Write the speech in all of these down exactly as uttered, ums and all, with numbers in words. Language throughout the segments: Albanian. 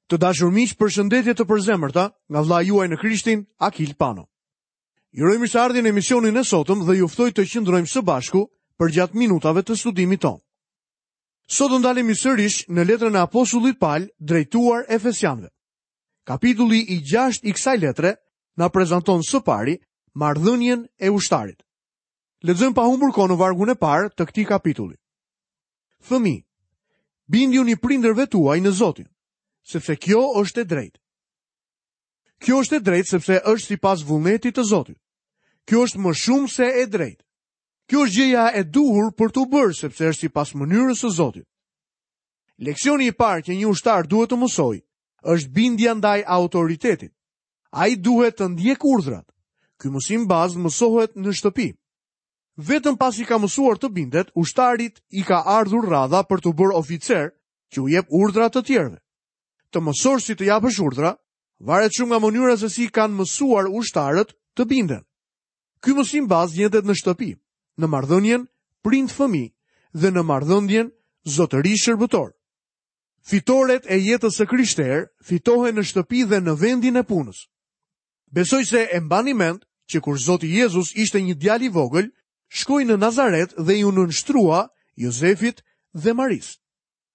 Të dashur miq, përshëndetje të përzemërta nga vëllai juaj në Krishtin, Akil Pano. Ju uroj mirëseardhjen në emisionin e sotëm dhe ju ftoj të qëndrojmë së bashku përgjatë minutave të studimit tonë. Sot do ndalemi sërish në letrën e apostullit Pal drejtuar Efesianëve. Kapitulli i gjashtë i kësaj letre na prezanton së pari marrëdhënien e ushtarit. Lexojmë pa humbur kohë në vargun e parë të këtij kapitulli. Fëmijë, bindjuni prindërve tuaj në Zotin, sepse kjo është e drejtë. Kjo është e drejtë sepse është sipas vullnetit të Zotit. Kjo është më shumë se e drejtë. Kjo është gjëja e duhur për t'u bërë sepse është sipas mënyrës së Zotit. Leksioni i parë që një ushtar duhet të mësojë është bindja ndaj autoritetit. Ai duhet të ndjekë urdhrat. Ky mësim bazë mësohet në shtëpi. Vetëm pasi ka mësuar të bindet, ushtarit i ka ardhur radha për t'u bërë oficer që u jep urdhra të tjerëve. Të mësosh si të japësh urdhra, varet shumë nga mënyra se si kanë mësuar ushtarët të binden. Ky mësim bazë gjendet në shtëpi, në marrëdhënien prind-fëmijë dhe në marrëdhënien zotëri-shërbëtor. Fitoret e jetës së krishterë fitohen në shtëpi dhe në vendin e punës. Besoj se e mbani mend që kur Zoti Jezus ishte një djalë i vogël, shkoi në Nazaret dhe iu nënshtrua Jozefit dhe Marisë.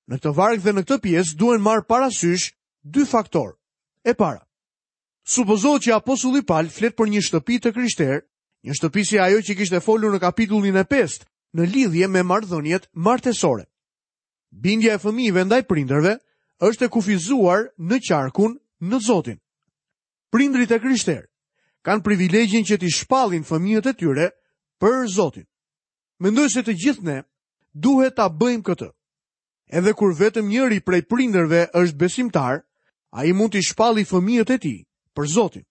Në këtë varg dhe në këtë pjesë duhen marrë parasysh dy faktorë. E para, supozohet që apostulli Pal flet për një shtëpi të krishterë, një shtëpi si ajo që kishte folur në kapitullin e pestë në lidhje me marrëdhëniet martesore. Bindja e fëmijëve ndaj prindërve është e kufizuar në qarkun në Zotin. Prindrit e krishterë kanë privilegjin që t'i shpallin fëmijët e tyre për Zotin. Mendoj se të gjithë ne duhet ta bëjmë këtë. Edhe kur vetëm njëri prej prindërve është besimtar, ai mund t'i shpalli fëmijët e tij për Zotin.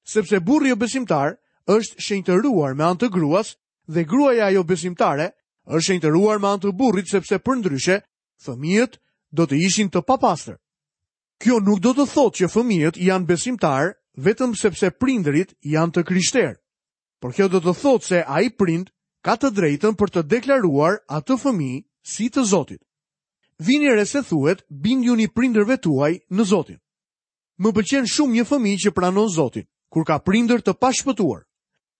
Sepse burri jo besimtar është shenjtëruar me anë të gruas dhe gruaja jo besimtare është shenjtëruar me anë të burrit, sepse përndryshe fëmijët do të ishin të papastër. Kjo nuk do të thotë që fëmijët janë besimtar vetëm sepse prindërit janë të krishterë. Por kjo do të thotë se ai prind ka të drejtën për të deklaruar atë fëmijë si të Zotit. Vini re se thuhet, bindjuni prindërve tuaj në Zotin. Më pëlqen shumë një fëmijë që pranon Zotin, kur ka prindër të pashpëtuar.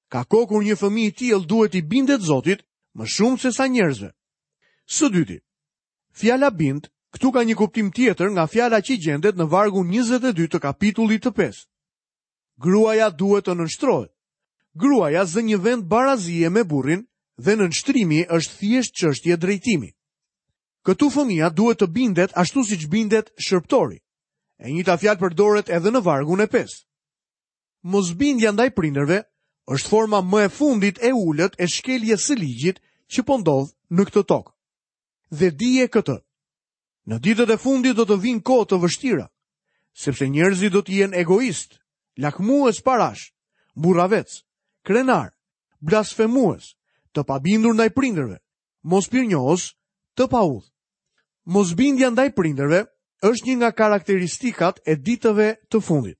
Ka kohë kur një fëmijë i tillë duhet t'i bindet Zotit më shumë se sa njerëzve. Së dyti, fjala bind këtu ka një kuptim tjetër nga fjala që gjendet në vargun njëzet e dy të kapitullit të pestë. Gruaja duhet të nënshtrohet. Gruaja zë një vend barazie me burrin dhe nënshtrimi është thjesht çështje drejtimi. Këtu fëmia duhet të bindet ashtu siç bindet shërbëtori. E njëjta fjalë përdoret edhe në vargun e pestë. Mosbindja ndaj prindërve është forma më e fundit e ulët e shkeljes së ligjit që po ndodh në këtë tokë. Dhe dije këtë. Në ditët e fundit do të vinë kohë të vështira, sepse njerëzit do të jenë egoistë, lakmues parash, burravec, krenar, blasfemues, të pabindur ndaj prindërve, mospirnjohës, të paudhë. Mosbindja ndaj prindërve është një nga karakteristikat e ditëve të fundit.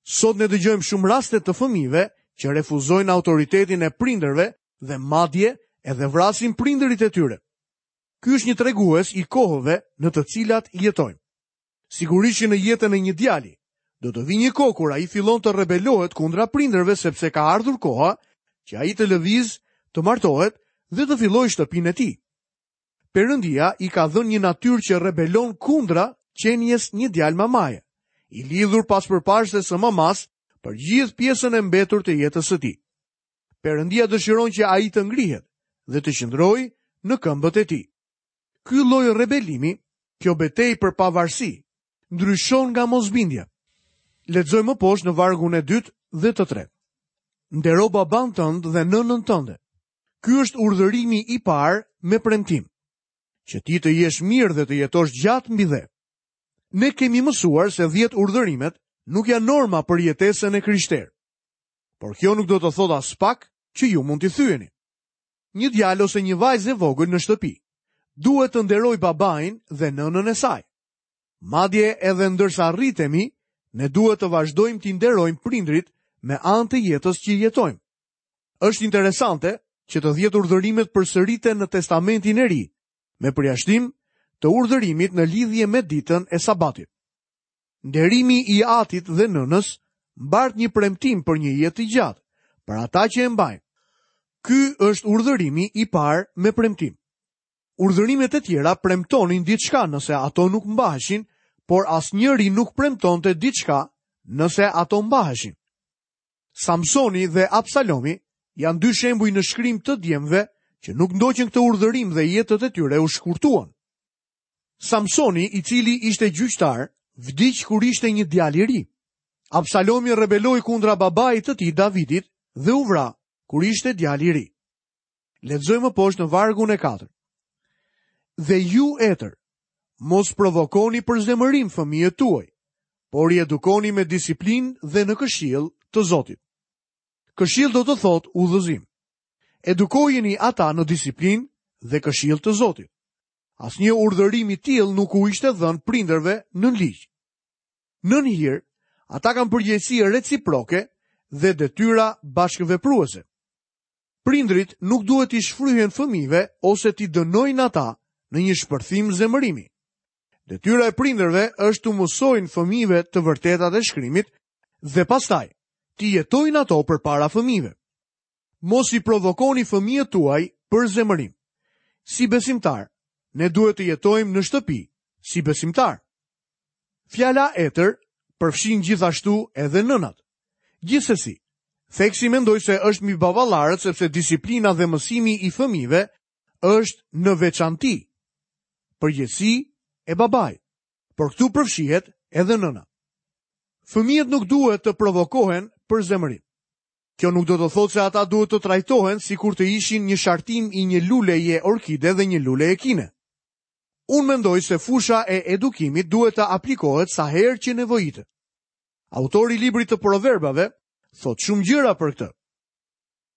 Sot ne dëgjojmë shumë raste të fëmijëve që refuzojnë autoritetin e prindërve dhe madje edhe vrasin prindërit e tyre. Ky është një tregues i kohëve në të cilat jetojmë. Sigurisht që në jetën e një djali do të vijë një kohë kur ai fillon të rebelohet kundra prindërve sepse ka ardhur koha që ai të lëvizë, të martohet dhe të fillojë shtëpinë e tij. Perëndia i ka dhënë një natyrë që rebelon kundra qenies një djalë mamaje, i lidhur pas përparëses së mamas për gjithë pjesën e mbetur të jetës së tij. Perëndia dëshiron që ai të ngrihet dhe të qëndrojë në këmbët e tij. Ky lloj rebelimi, kjo betejë për pavarësi, ndryshon nga mosbindja. Lexojmë më poshtë në vargun e dytë dhe të tretë. Ndero baban tënd dhe nënën tënde. Ky është urdhërimi i parë me premtim, që ti të jesh mirë dhe të jetosh gjatë mbi dhe. Ne kemi mësuar se dhjetë urdhërimet nuk janë norma për jetesën e krishterë. Por kjo nuk do të thotë as pak që ju mund t'i thyeni. Një djalë ose një vajzë e vogël në shtëpi duhet të nderoj babain dhe nënën e saj. Madje edhe ndërsa rritemi, ne duhet të vazhdojmë t'i nderojmë prindrit me anë të jetës që jetojmë. Është interesante që të dhjetë urdhërimet përsëriten në Testamentin e Ri, me përjashtim të urdhërimit në lidhje me ditën e Sabatit. Nderimi i atit dhe nënës mbart një premtim për një jetë të gjatë, për ata që e mbajnë. Ky është urdhërimi i parë me premtim. Urdhërimet e tjera premtonin diçka nëse ato nuk mbaheshin, por asnjëri nuk premtonte diçka nëse ato mbaheshin. Samsoni dhe Absalomi janë dy shembuj në shkrim të djemve që nuk ndoqën këtë urdhërim dhe jetët e tyre u shkurtuan. Samsoni, i cili ishte gjyqtar, vdiq kur ishte një djalë i ri. Absalomi rebeloi kundra babait të tij Davidit dhe u vra kur ishte djalë i ri. Lexojmë poshtë në vargun e katërt. Dhe ju etër, mos provokoni për zemërim fëmijët tuaj, por i edukoni me disiplinë dhe në këshill të Zotit. Këshill do të thotë udhëzim. Edukojeni ata në disiplinë dhe këshill të Zotit. Asnjë urdhërim i tillë nuk u ishte dhënë prindërve në ligj. Nën hir, ata kanë përgjegjësi reciproke dhe detyra bashkëvepruese. Prindrit nuk duhet t'i shfryhen fëmijëve ose t'i dënojnë ata në një shpërthim zemërimi. Detyra e prindërve është t'u mësojnë fëmijëve të vërtetat e shkrimit dhe pastaj t'i jetojnë ato përpara fëmijëve. Mos i provokoni fëmijët tuaj për zemërim. Si besimtar, ne duhet të jetojmë në shtëpi si besimtar. Fjala etër përfshin gjithashtu edhe nënat. Gjithsesi, theksi mendoj se është mbi baballarët, sepse disiplina dhe mësimi i fëmijëve është në veçanti përgjegjësi e babait, por këtu përfshihet edhe nëna. Fëmijët nuk duhet të provokohen për zemërim. Kjo nuk do të thotë se ata duhet të trajtohen sikur të ishin një shartim i një luleje orkide dhe një luleje kine. Unë mendoj se fusha e edukimit duhet të aplikohet sa herë që nevojitet. Autori i librit të proverbave thotë shumë gjëra për këtë.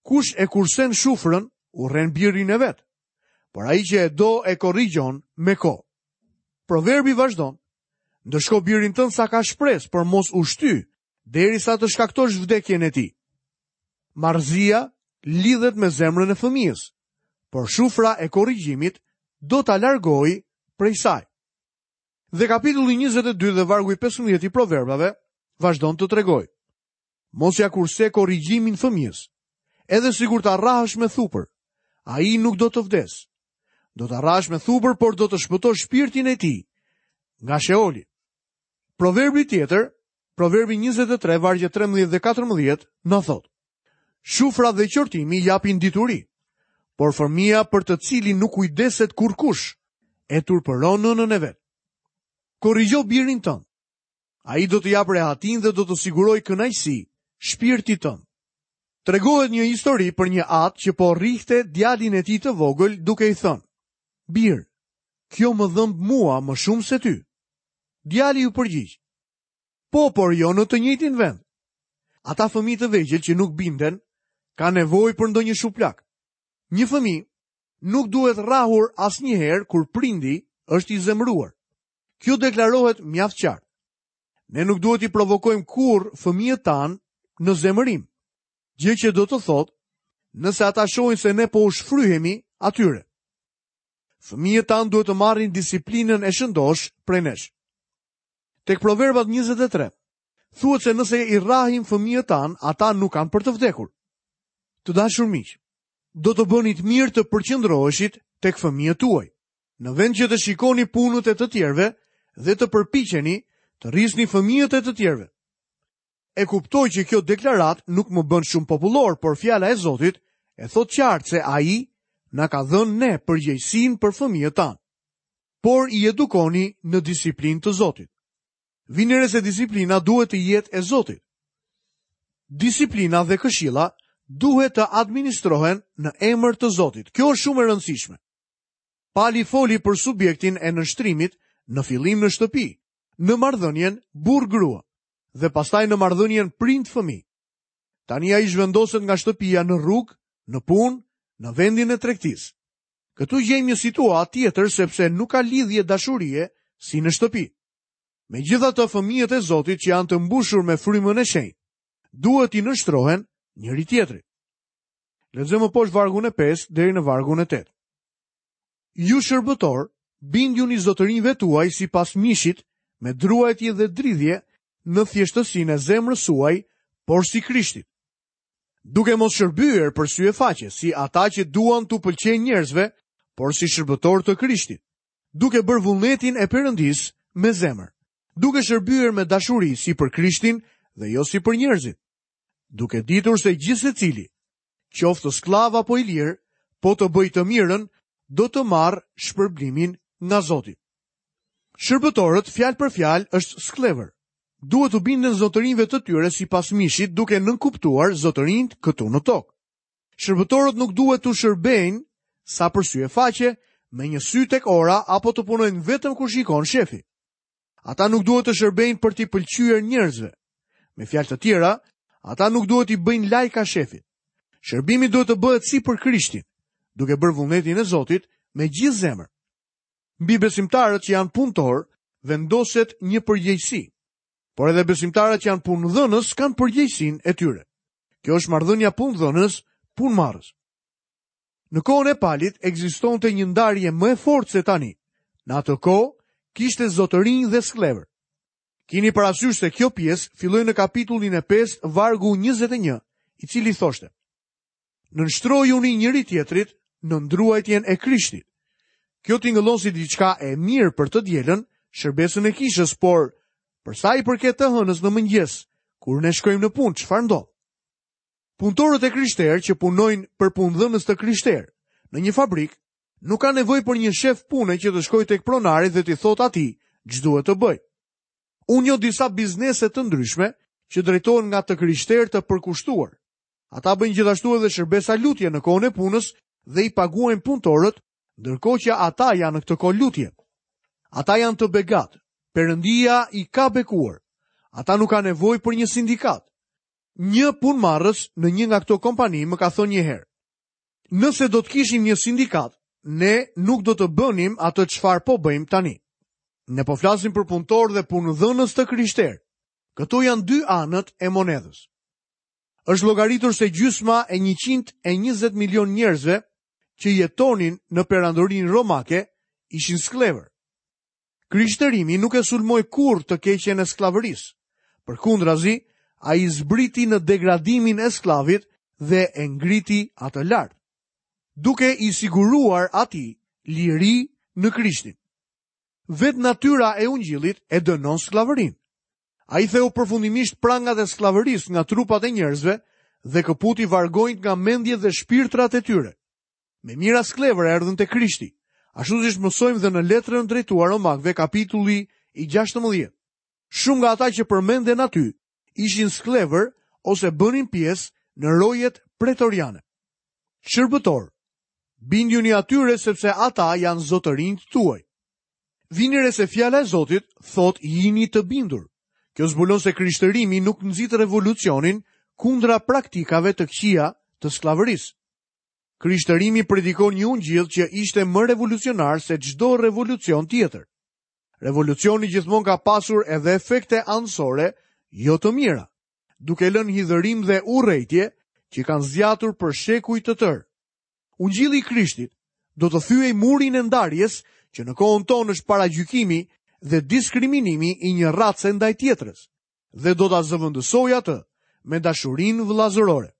Kush e kursen shufrën, urren birin e vet, por ai që e do e korrigjon me kohë. Proverbi vazhdon: ndëshko birin tënd sa ka shpresë, por mos u shty derisa të shkaktosh vdekjen e tij. Marrëzia lidhet me zemrën e fëmijës, por shufra e korrigjimit do ta largojë prej saj. Dhe kapitulli njëzet e dy dhe vargu i pesëmbëdhjetë i proverbave vazhdon të tregojë: mos ja kurse korrigjimin fëmijës, edhe sikur ta rrahësh me thupër, ai nuk do të vdes. Do ta rrahësh me thupër, por do të shpëtosh shpirtin e tij nga Sheoli. Proverbi tjetër, Proverbi njëzet e tre, vargje trembëdhjetë dhe katërmbëdhjetë, na thotë: shufra dhe qortimi japin dituri, por fëmia për të cilin nuk kujdeset kurrkush, e turpëron nënën e vet. Korrigjo birin tënd. Ai do të japë rehatin dhe do të sigurojë kënaqësi shpirtit tënd. Tregohet një histori për një atë që po rrihte djalin e tij të vogël duke i thënë: "Bir, kjo më dhëmb mua më shumë se ty." Djali u përgjigj: "Po, por jo në të njëjtin vend." Ata fëmijë të vegjël që nuk binden kanë nevojë për ndonjë shuplak. Një fëmijë nuk duhet rrahur asnjëherë kur prindi është i zemëruar. Kjo deklarohet mjaft qartë. Ne nuk duhet i provokojmë kurrë fëmijët tanë në zemërim, gjë që do të thotë nëse ata shohin se ne po u shfryhemi atyre. Fëmijët tanë duhet të marrin disiplinën e shëndosh prej nesh. Tek Proverbat njëzet e tre, thuhet se nëse i rrahim fëmijët tanë, ata nuk kanë për të vdekur. Të dashur miq, do të bënit mirë të përqendroheshit tek fëmijët tuaj, në vend që të shikoni punët e të tjerëve dhe të përpiqeni të rrisni fëmijët e të tjerëve. E kuptoj që kjo deklaratë nuk më bën shumë popullor, por fjala e Zotit e thotë qartë se ai na ka dhënë ne përgjegjësinë për fëmijët tanë. Por i edukoni në disiplinë të Zotit. Vini re se disiplina duhet të jetë e Zotit. Disiplina dhe këshilla duhet të administrohen në emër të Zotit. Kjo është shumë e rëndësishme. Pali foli për subjektin e nënshtrimit në fillim në shtëpi, në marrëdhënien burr-grua dhe pastaj në marrëdhënien prind-fëmijë. Tani ai zhvendoset nga shtëpia në rrugë, në punë, në vendin e tregtisë. Këtu gjejmë një situatë tjetër sepse nuk ka lidhje dashurie si në shtëpi. Megjithatë, fëmijët e Zotit që janë të mbushur me frymën e shenjtë, duhet t'i nënshtrohen njëri tjetrit. Lexojmë poshtë vargun e pesë deri në vargun e tetë. Ju shërbëtor, bindjuni zotërinjve tuaj sipas mishit me druajtje dhe dridhje në thjeshtësinë e zemrës suaj, por si Krishtit. Duke mos shërbyer për sy e faqe, si ata që duan t'u pëlqejnë njerëzve, por si shërbëtor të Krishtit, duke bërë vullnetin e Perëndisë me zemër, duke shërbyer me dashuri si për Krishtin dhe jo si për njerëzit, duke ditur se gjithsecili, qoftë skllav apo i lirë, po të bëjë të mirën, do të marrë shpërblimin nga Zoti. Shërbëtorët, fjalë për fjalë, është skllevër. Duhet t'u binden zotërinjve të tyre sipas mishit, duke nënkuptuar zotërinjt këtu në tokë. Shërbëtorët nuk duhet t'u shërbejnë sa për sy e faqe, me një sy tek ora apo të punojnë vetëm kur shikon shefi. Ata nuk duhet të shërbejnë për t'i pëlqyer njerëzve. Me fjalë të tjera, ata nuk duhet t'i bëjnë lajka shefit. Shërbimi duhet të bëhet si për Krishtin, duke bërë vullnetin e Zotit me gjithë zemër. Mbi besimtarët që janë punëtor, vendoset një përgjegjësi. Por edhe besimtarët që janë punëdhënës kanë përgjegjësinë e tyre. Kjo është marrëdhënia punëdhënës punëmarrës. Në kohën e Palit ekzistonte një ndarje më e fortë se tani. Në atë kohë kishte zotërinj dhe skllevër. Kini parasysh se kjo pjesë filloi në kapitullin e pestë, vargu njëzet e një, i cili thoshte: Nënshtrojuni njëri tjetrit në ndruajtjen e Krishtit. Kjo tingëllon si diçka e mirë për të dielën, shërbesën e kishës, por për sa i përket të hënës në mëngjes, kur ne shkojmë në punë, çfarë ndodh? Punëtorët e krishterë që punojnë për punëdhënës të krishterë në një fabrikë nuk kanë nevojë për një shef pune që të shkojë tek pronari dhe t'i thotë atij ç'duhet të bëjë. Unë njoh disa biznese të ndryshme që drejtohen nga të krishterë të përkushtuar. Ata bëjnë gjithashtu edhe shërbesa lutje në kohën e punës dhe i paguajnë punëtorët, ndërkohë që ata janë në këtë kohë lutje. Ata janë të begat. Perëndia i ka bekuar. Ata nuk kanë nevojë për një sindikat. Një punëmarrës në një nga këto kompani më ka thënë një herë: Nëse do të kishim një sindikat, ne nuk do të bënim atë çfarë po bëjmë tani. Ne po flasim për punëtorë dhe punëdhënës të krishterë. Këto janë dy anët e monedhës. Është llogaritur se gjysma e njëqind e njëzet milion njerëzve që jetonin në perandorinë romake ishin skllevër. Krishterimi nuk e sulmoi kurrë të keqen e skllavërisë. Përkundrazi, ai zbriti në degradimin e skllavit dhe e ngriti atë lart, duke i siguruar atij liri në Krishtin. Vetë natyra e ungjillit e dënon skllavërinë. Ai theu përfundimisht prangat e skllavërisë nga trupat e njerëzve dhe këputi vargonjt nga mendjet dhe shpirtrat e tyre. Me mijëra skllevër erdhën te Krishti, ashtu siç mësojmë dhe në letrën drejtuar Romakëve, kapitulli i gjashtëmbëdhjetë. Shumë nga ata që përmenden aty ishin skllevër ose bënin pjesë në rojet pretoriane. Shërbëtor, bindjuni atyre sepse ata janë zotërinjt tuaj. Vini re se fjala e Zotit thot jini të bindur. Kjo zbulon se krishtërimi nuk nxit revolucionin kundra praktikave të këqija të skllavërisë. Krishtërimi predikon një ungjill që ishte më revolucionar se çdo revolucion tjetër. Revolucioni gjithmonë ka pasur edhe efekte anësore jo të mira, duke lënë hidhërim dhe urrejtje që kanë zgjatur për shekuj të tërë. Ungjilli i Krishtit do të thyej murin e ndarjes që në kohën tonë është paragjykimi dhe diskriminimi i një race ndaj tjetrës, dhe do ta zëvendësojë atë me dashurinë vëllazërore.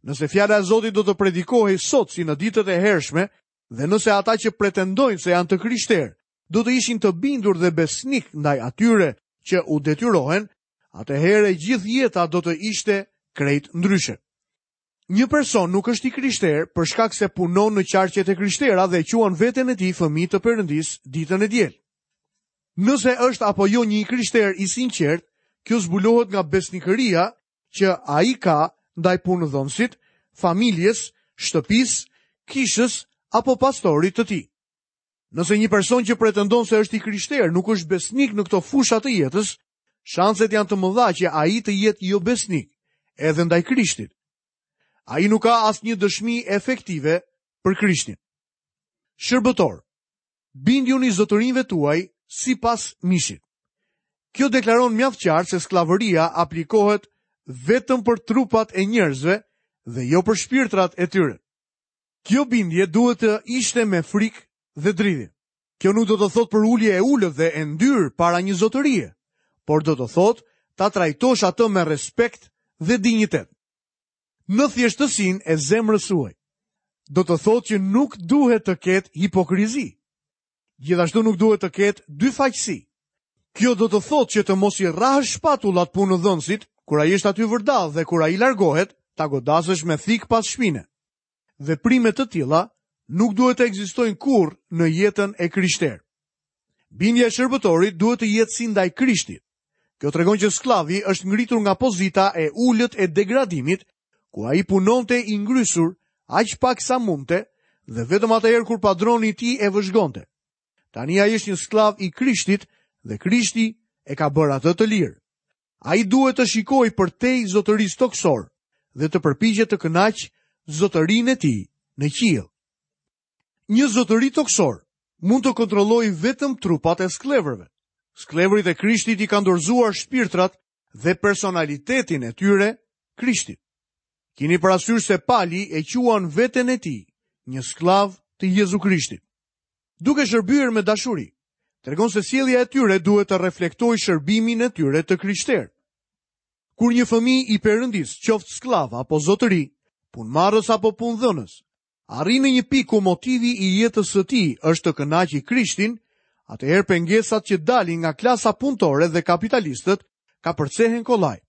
Nëse fjala e Zotit do të predikohej sot si në ditët e hershme, dhe nëse ata që pretendojnë se janë të krishterë do të ishin të bindur dhe besnik ndaj atyre që u detyrohen, atëherë gjithë jeta do të ishte krejt ndryshe. Një person nuk është i krishterë për shkak se punon në qarqet e krishtera dhe quan veten e tij fëmijë të Perëndisë ditën e diel. Nëse është apo jo një i krishterë i sinqert, kjo zbulohet nga besnikëria që ai ka ndaj punëdhënësit, familjes, shtëpisë, kishës apo pastorit të tij. Nëse një person që pretendon se është i krishterë nuk është besnik në këto fusha të jetës, shanset janë të mëdha që ai të jetë jo besnik edhe ndaj Krishtit. Ai nuk ka asnjë dëshmi efektive për Krishtin. Shërbëtor, bindjuni zotërinjve tuaj sipas mishit. Kjo deklaron mjaft qartë se skllavëria aplikohet vetëm për trupat e njerëzve dhe jo për shpirtrat e tyre. Kjo bindje duhet të ishte me frikë dhe dridhje. Kjo nuk do të thotë përulje e ulët dhe e ndyrë para një zotërie, por do të thotë ta trajtosh atë me respekt dhe dinjitet. Në thjeshtësinë e zemrës suaj. Do të thotë që nuk duhet të ketë hipokrizi. Gjithashtu nuk duhet të ketë dyfaqësi. Kjo do të thotë që të mos i rrahësh shpatullat punëdhënësit kur ai është aty vërdallë dhe kur ai largohet, ta godasësh me thikë pas shpine. Veprime të tilla nuk duhet të ekzistojnë kurrë në jetën e krishterë. Bindja e shërbëtorit duhet të jetë si ndaj Krishtit. Kjo tregon që skllavi është ngritur nga pozita e ulët e degradimit, ku ai punonte i ngrysur aq pak sa mundte dhe vetëm atëherë kur padroni i tij e vëzhgonte. Tani ai është një skllav i Krishtit dhe Krishti e ka bërë atë të lirë. Ai duhet të shikojë përtej zotërisë tokësor dhe të përpiqet të kënaqë zotërinë e tij në qiell. Një zotëri tokësor mund të kontrollojë vetëm trupat e skllevërve. Skllevërit e Krishtit i kanë dorëzuar shpirtrat dhe personalitetin e tyre Krishtit. Kini parasysh se Pali e quan veten e tij një skllav të Jezu Krishtit. Duke shërbyer me dashuri, tregon se sjellja e tyre duhet të reflektojë shërbimin e tyre të krishterë. Kur një fëmijë i Perëndisë, qoftë skllav apo zotëri, punëmarrës apo punëdhënës, arrin në një pikë ku motivi i jetës së tij është të kënaqë Krishtin, atëherë pengesat që dalin nga klasa punëtore dhe kapitalistët kapërcehen kollaj.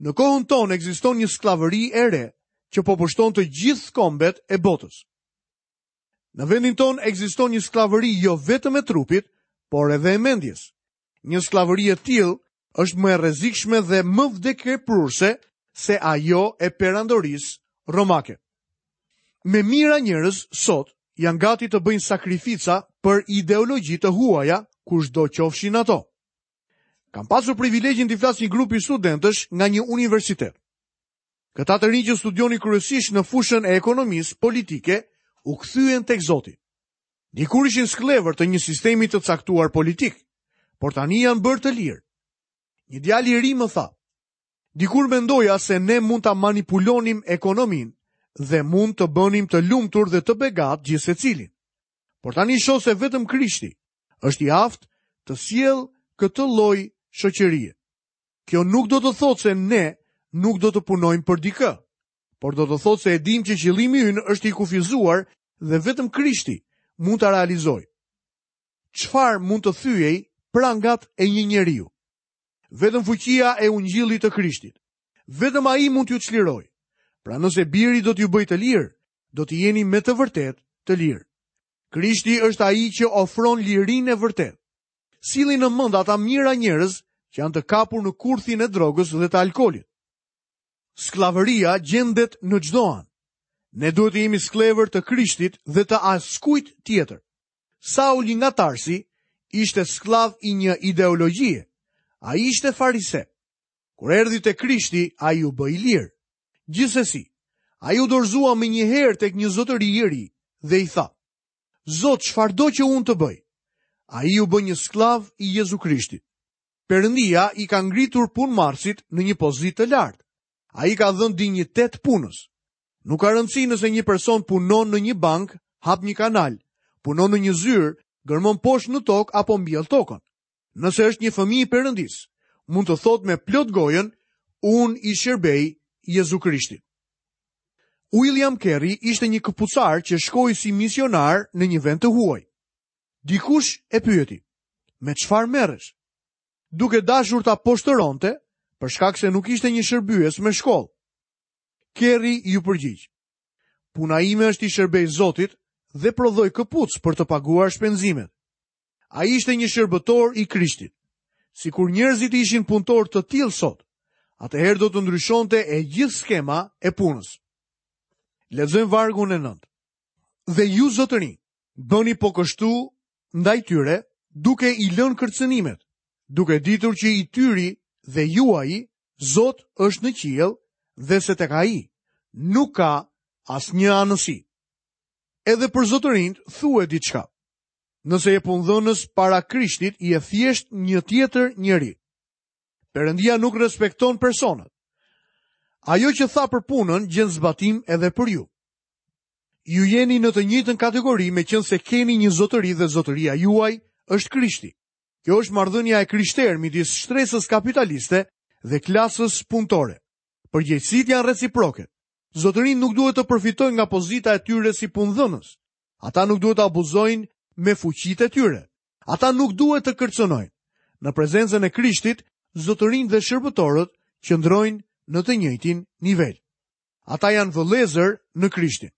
Në kohën tonë ekziston një skllavëri e re që po pushton të gjithë kombet e botës. Në vendin tonë ekziston një skllavëri jo vetëm e trupit, por edhe e mendjes. Një skllavëri e tillë është më e rrezikshme dhe më vdekjeprurëse se ajo e perandorisë romake. Me mijëra njerëz sot janë gati të bëjnë sakrifica për ideologji të huaja, kushdo qofshin ato. Kam pasur privilegjin t'i flas një grupi studentësh nga një universitet. Këta të rinj që studionin kryesisht në fushën e ekonomisë politike u kthyen tek Zoti. Dikur ishin skllevër të një sistemi të caktuar politik, por tani janë bërë të lirë. Një djalë i ri më tha: "Dikur mendoja se ne mund ta manipulonim ekonominë dhe mund të bënim të lumtur dhe të begat gjithsecilin. Por tani shoh se vetëm Krishti është i aftë të sjellë këtë lloj shoqërie. Kjo nuk do të thotë se ne nuk do të punojmë për dikë, por do të thotë se e dim që qëllimi ynë është i kufizuar dhe vetëm Krishti mund ta realizojë. Çfarë mund të thyej prangat e një njeriu? Vetëm fuqia e ungjillit të Krishtit. Vetëm ai mund t'ju çlirojë. Pra nëse biri do t'ju bëjë të lirë, do të jeni me të vërtetë të lirë. Krishti është ai që ofron lirinë e vërtetë. Silli në mend ata mijëra njerëz që janë të kapur në kurthin e drogës dhe të alkoolit. Skllavëria gjendet në çdo anë. Ne duhet të jemi skllevër të Krishtit dhe të askujt tjetër. Sauli nga Tarsi ishte skllav i një ideologjie. Ai ishte farise. Kur erdhi te Krishti, ai u bë i lirë. Gjithsesi, ai u dorëzua menjëherë tek një zotëri i ri dhe i tha: "Zot, çfarëdo që unë të bëj?" Ai u bë një skllav i Jezu Krishtit. Perëndia i ka ngritur punëmarrësit në një pozitë të lartë. Ai ka dhënë dinjitet punës. Nuk ka rëndësi nëse një person punon në një bank, hap një kanal, punon në një zyrë, gërmon poshtë në tokë apo mbjell tokën. Nëse është një fëmijë i Perëndisë, mund të thotë me plot gojën: "Unë i shërbej Jezu Krishtit." William Carey ishte një këpucar që shkoi si misionar në një vend të huaj. Dikush e pyeti: "Me çfarë merresh?" Duke dashur ta poshtëronte, për shkak se nuk ishte një shërbyes me shkollë. Carey iu përgjigj: "Puna ime është i shërbej Zotit dhe prodhoj këpuc për të paguar shpenzimet." Ai ishte një shërbëtor i Krishtit. Sikur njerëzit ishin punëtor të tillë sot, atëherë do të ndryshonte e gjithë skema e punës. Lexojmë vargun e nëntë. Dhe ju zotërinj, bëni po kështu ndaj tyre, duke i lënë kërcënimet, duke ditur që i tyri dhe juaji Zot është në qiell dhe se tek ai nuk ka asnjë anësi. Edhe për zotërinjt thuhet diçka. Nëse je punëdhënës para Krishtit, je thjesht një tjetër njeri. Perëndia nuk respekton personat. Ajo që tha për punën gjen zbatim edhe për ju. Ju jeni në të njëjtën kategori meqenëse keni një zotëri dhe zotëria juaj është Krishti. Kjo është marrëdhënia e krishterë midis shtresës kapitaliste dhe klasës punëtore. Përgjegjësitë janë reciproke. Zotërinjtë nuk duhet të përfitojnë nga pozita e tyre si punëdhënës. Ata nuk duhet të abuzojnë me fuqitë e tyre. Ata nuk duhet të kërcënojnë. Në prezencën e Krishtit, zotërinjtë dhe shërbëtorët qëndrojnë në të njëjtin nivel. Ata janë vëllezër në Krishtin.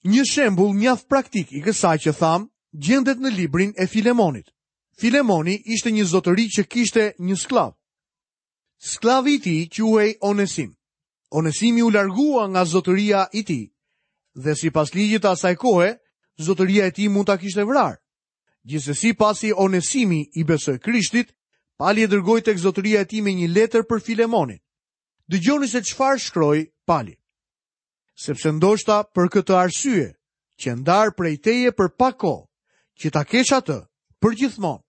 Një shembull mjaft praktik i kësaj që thamë gjendet në librin e Filemonit. Filemoni ishte një zotëri që kishte një skllav. Skllavi i tij quhej Onesim. Onesimi u largua nga zotëria i tij dhe sipas ligjit të asaj kohe, zotëria e tij mund ta kishte vrarë. Gjithsesi, pasi Onesimi i besoi Krishtit, Pali e dërgoi tek zotëria e tij me një letër për Filemonin. Dëgjoni se çfarë shkroi Pali. Sepse ndoshta për këtë arsye, që ndarë prej teje për pak kohë, që ta kesh atë për gjithmonë,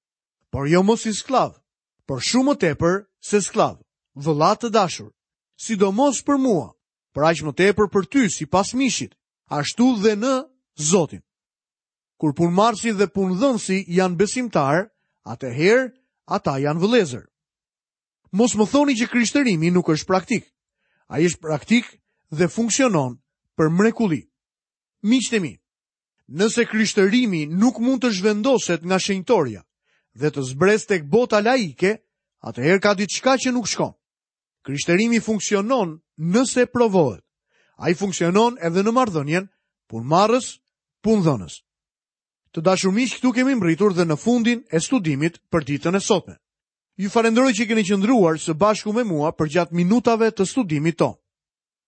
por jo mos si skllav, por shumë më tepër se skllav, vëlla të dashur, sidomos për mua, por aq më tepër për ty sipas mishit, ashtu dhe në Zotin. Kur punëmarrësi dhe punëdhënësi janë besimtar, atëherë ata janë vëllezër. Mos më thoni që krishtërimi nuk është praktik. Ai është praktik dhe funksionon për mrekulli. Miqtë e mi, nëse krishtërimi nuk mund të zhvendoset nga shenjtoria dhe të zbresë tek bota laike, atëherë ka diçka që nuk shkon. Krishtërimi funksionon nëse provohet. Ai funksionon edhe në marrëdhënien punëmarrës punëdhënës. Të dashur miq, këtu kemi mbërritur dhe në fundin e studimit për ditën e sotme. Ju falenderoj që keni qëndruar së bashku me mua përgjatë minutave të studimit tonë.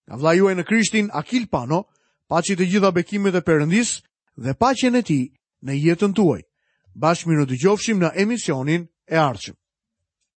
Nga vëllai juaj në Krishtin, Akil Pano, paçi të gjitha bekimet e Perëndisë dhe paqen e tij në jetën tuaj. Bashkë mirë dëgjofshim në emisionin e ardhshëm.